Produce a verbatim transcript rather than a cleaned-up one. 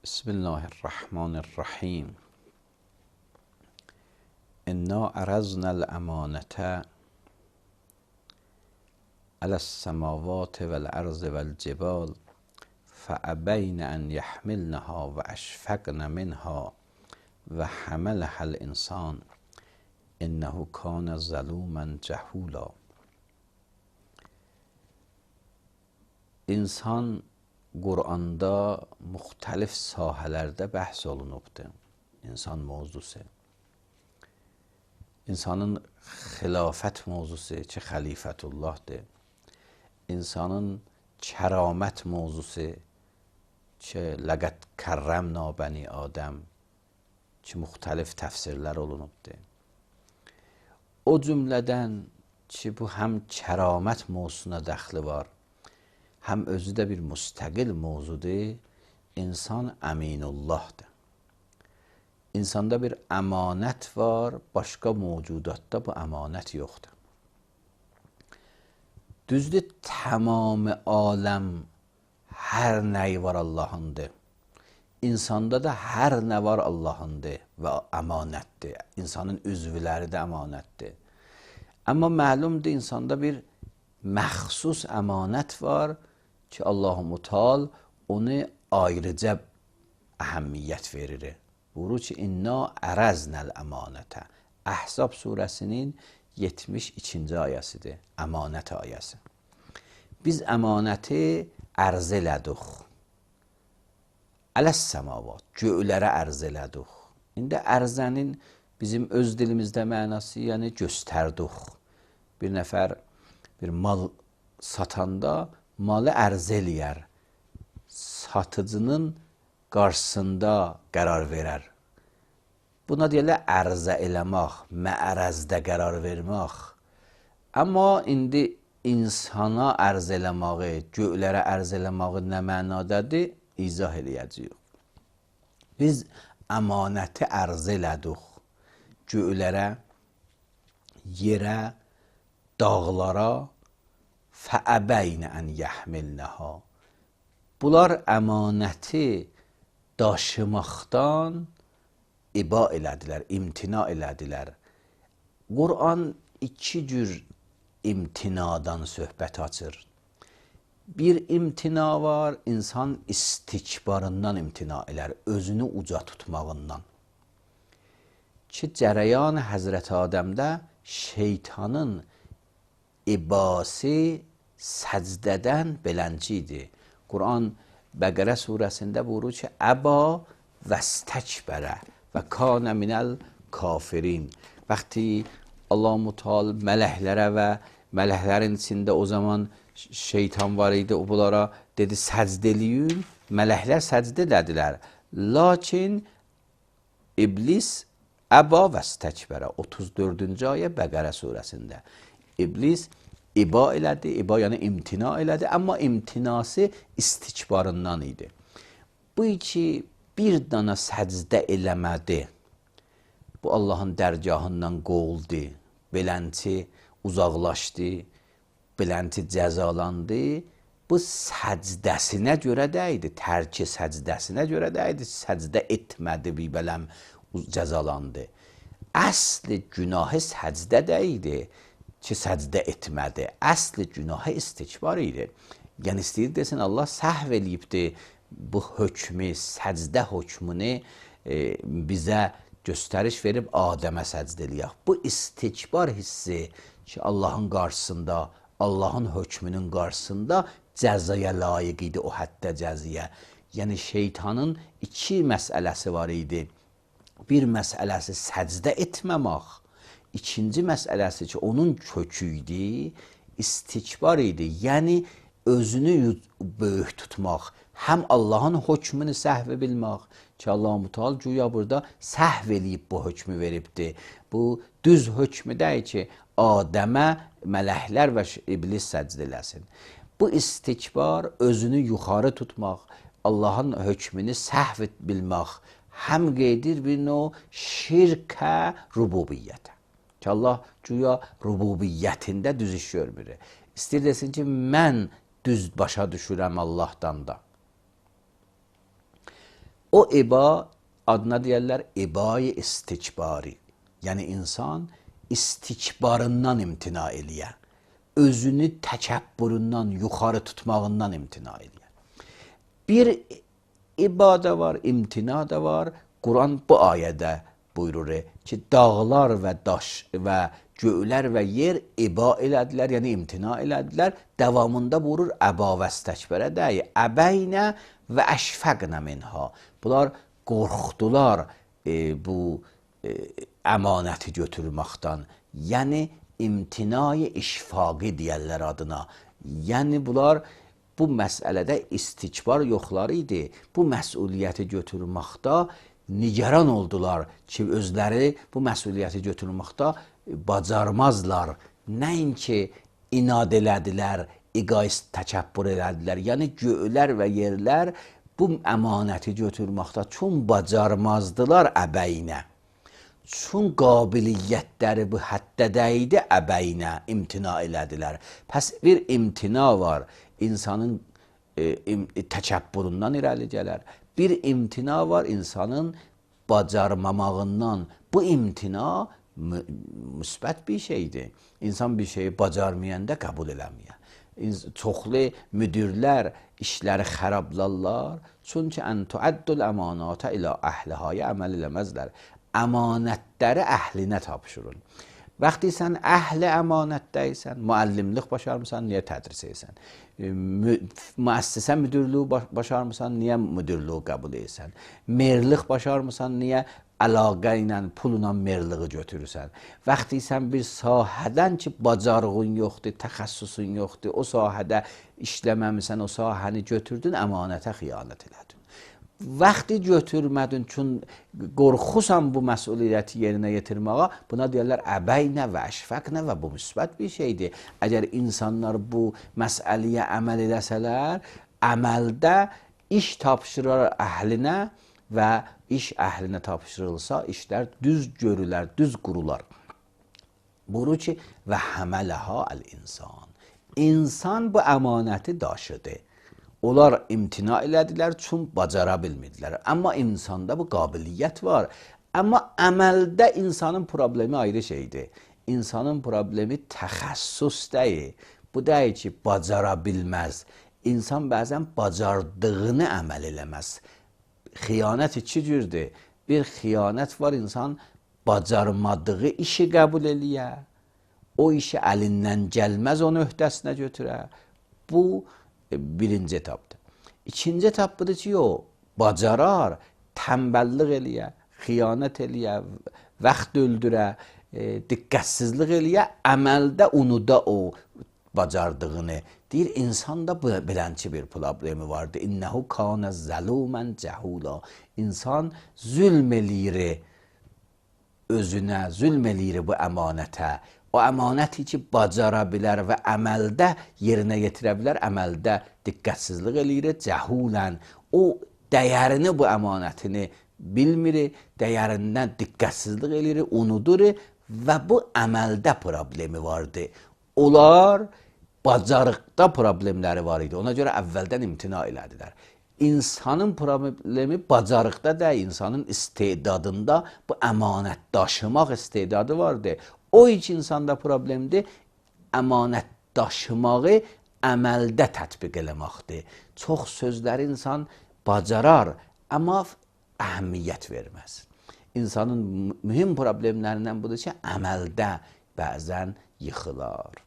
Bismillahirrahmanirrahim. İnna araznal emanete alas-semavati vel-arzi vel-cibal فأبين أن يحملنها وأشفقن منها وحملها الإنسان إنه كان ظلوما جهولا. İnsan Quranda müxtəlif sahələrdə bəhs olunubdur. İnsan mövzusu. İnsanın xilafət mövzusu ki, xəlifətullahdır. İnsanın kəramət mövzusu ki, ləqəd kərrəmna bəni Adəm ki, müxtəlif təfsirlər olunubdur. O cümlədən ki, bu həm kəramət mövzusuna dəxli var, həm özü də bir müstəqil mövzudur, insan əminullahdır. İnsanda bir əmanət var, başqa mövcudatda bu əmanət yoxdur. Düzdür, tamamı aləm hər nəyi var Allahındır. İnsanda da hər nə var Allahındır və əmanətdir. İnsanın üzvləri də əmanətdir. Amma məlumdur, insanda bir məxsus əmanət var ki, Allah-u Mutal onu ayrıca əhəmiyyət verir. Buyurur ki, inna ərəznəl əmanətə. Əhzab surəsinin yetmiş ikinci ayəsidir, əmanət ayəsi. Biz əmanəti ərz elədik. Ələs-səmavat, göylərə ərz elədik. İndi ərzənin bizim öz dilimizdə mənası, yəni göstərdik. Bir nəfər bir mal satanda malı ərz eləyər. Satıcının qarşısında qərar verər. Buna deyirlər ərzə eləmək, məərəzdə qərar vermək. Amma indi insana ərz eləməyi, göylərə ərz eləməyi nə mənadadır? İzah eləyəcəyik. Biz əmanəti ərz elədik. Göylərə, yerə, dağlara fəəbəynə ən yəhmilnəha. Bunlar əmanəti daşımaqdan iba elədilər, imtina elədilər. Quran iki cür imtinadan söhbət açır. Bir imtina var, insan istikbarından imtina elər, özünü uca tutmağından. Ki, cərəyan Həzrəti Adəmdə şeytanın ibası səcdədən belənci idi. Quran Bəqərə surəsində buyurur ki, əba vəstəkbərə və kanə minəl kafirin. Vəqti Allah Mutal mələklərə və mələklərin içində o zaman şeytan var idi, o bunlara dedi səcd eləyin, mələklər səcd elədilər. Lakin iblis əba vəstəkbərə, otuz dördüncü ayə Bəqərə surəsində. İblis iba elədi, iba yəni imtina elədi, amma imtinası istikbarından idi. Bu iki bir dana səcdə eləmədi. Bu Allahın dərgahından qovuldu, belənti uzaqlaşdı, belənti cəzalandı. Bu səcdəsinə görə də idi, tərki səcdəsinə görə də idi, səcdə etmədi, bir bələm cəzalandı. Əsli günahı səcdə də idi ki, səcdə etmədi. Əsli günahı istikbar idi. Yəni istəyir desin, Allah səhv eləyibdi bu hökmü, səcdə hökmünü e, bizə göstəriş verib Adəmə səcd eləyək. Bu istikbar hissi ki, Allahın qarşısında, Allahın hökmünün qarşısında cəzaya layiq idi, o həddə cəziyə. Yəni şeytanın iki məsələsi var idi. Bir məsələsi səcdə etməmək, ikinci məsələsi ki, onun kökü idi, istikbar idi. Yəni özünü böyük tutmaq, həm Allahın hökmünü səhv bilmək ki, Allah-u Mutal güya burada səhv eləyib bu hökmü veribdir. Bu düz hökmü deyil ki, Adəmə mələklər və iblis səcd eləsin. Bu istikbar, özünü yuxarı tutmaq, Allahın hökmünü səhv bilmək, həm qeydir bir növ şirkə rububiyyətə. Ki, Allah güya rububiyyətində düz iş görmür. İstəyir desin ki, mən düz başa düşürəm Allahdan da. O iba adına deyərlər ibai istikbari. Yəni insan istikbarından imtina eləyə. Özünü təkəbbüründən, yuxarı tutmağından imtina eləyə. Bir iba da var, imtina da var. Quran bu ayədə buyurur ki, dağlar və daş və göylər və yer iba elədilər, yəni imtina elədilər. Davamında buyurur, əba və istəkbərə dəyi, əbəynə və əşfəqnə minha. Bunlar qorxdular e, bu e, əmanəti götürməkdən. Yəni imtinai işfaqi deyərlər adına. Yəni bunlar bu məsələdə istikbar yoxları idi. Bu məsuliyyəti götürməkdə nigaran oldular ki, özləri bu məsuliyyəti götürməkdə bacarmazlar. Nəinki inad elədilər, egoist təkəbbür elədilər. Yəni göylər və yerlər bu əmanəti götürməkdə çün bacarmazdılar əbəynə. Çün qabiliyyətləri bu həddədə idi əbəynə, imtina elədilər. Pəs bir imtina var, insanın e, im, təkəbbüründən irəli gələr. Bir imtina var insanın bacarmamağından. Bu imtina mü müsbət bir şeydir. İnsan bir şeyi bacarmayanda qəbul eləməyə. Çoxlu müdirlər işləri xərablarlar. Çünki ən tuəddül əmanata ilə əhlihaya əməl eləməzlər. Əmanətləri əhlinə tapşırın. Vaxtı sən əhli əmanətdəysən, müəllimlik başarmısan, niyə tədris edirsən? Müəssisə müdürlüyü başarmısan, niyə müdürlüyü qəbul edirsən? Merlik başarmısan, niyə əlaqə ilə, pulla merliği götürürsən? Vaxtı sən bir sahədən ki, bacarığın yoxdur, təxəssüsün yoxdur, o sahədə işləməmisən, o sahəni götürdün, əmanətə xiyanət elədin. Vaxtı götürmədin, çün qorxusan bu məsuliyyəti yerinə yetirməyə, buna deyərlər əbəynə və əşfəqnə və bu müsbət bir şeydir. Əgər insanlar bu məsələyə əməl edəsələr, əməldə iş tapşırır əhlinə və iş əhlinə tapşırılsa, işlər düz görülər, düz qurular. Buyurur ki, və həmələhə əl-insan. İnsan bu əmanəti daşıdı. Onlar imtina elədilər, çün bacara bilmədilər. Amma insanda bu qabiliyyət var. Amma əməldə insanın problemi ayrı şeydir. İnsanın problemi təxəssüs deyil. Bu deyil ki, bacara bilməz. İnsan bəzən bacardığını əməl eləməz. Xiyanət iki cürdür. Bir xiyanət var, insan bacarmadığı işi qəbul eləyə. O işi əlindən gəlməz, onu öhdəsinə götürə. Bu birinci etapdır. İkinci etap budur ki, o bacarar, tənbəllik eləyə, xiyanət eləyə, vaxt öldürə, e, diqqətsizlik eləyə, əməldə unuda o bacardığını. Deyir, insanda belənçi bir problemi vardır. İnnəhu kanə zəlumən cəhula. İnsan zülm eləyir özünə, zülm eləyir bu əmanətə. O əmanəti ki, bacara bilər və əməldə yerinə yetirə bilər, əməldə diqqətsizlik eləyir, cəhulən. O dəyərini, bu əmanətini bilmir, dəyərindən diqqətsizlik eləyir, unudur və bu əməldə problemi vardı. Onlar bacarıqda problemləri var idi. Ona görə əvvəldən imtina elədilər. İnsanın problemi bacarıqda deyil, insanın istedadında bu əmanət daşımaq istedadı vardı. O iç insanda problemdir, əmanət daşımağı əməldə tətbiq eləməkdir. Çox sözləri insan bacarar, amma əhəmiyyət verməz. İnsanın mühüm problemlərindən budur ki, əməldə bəzən yıxılar.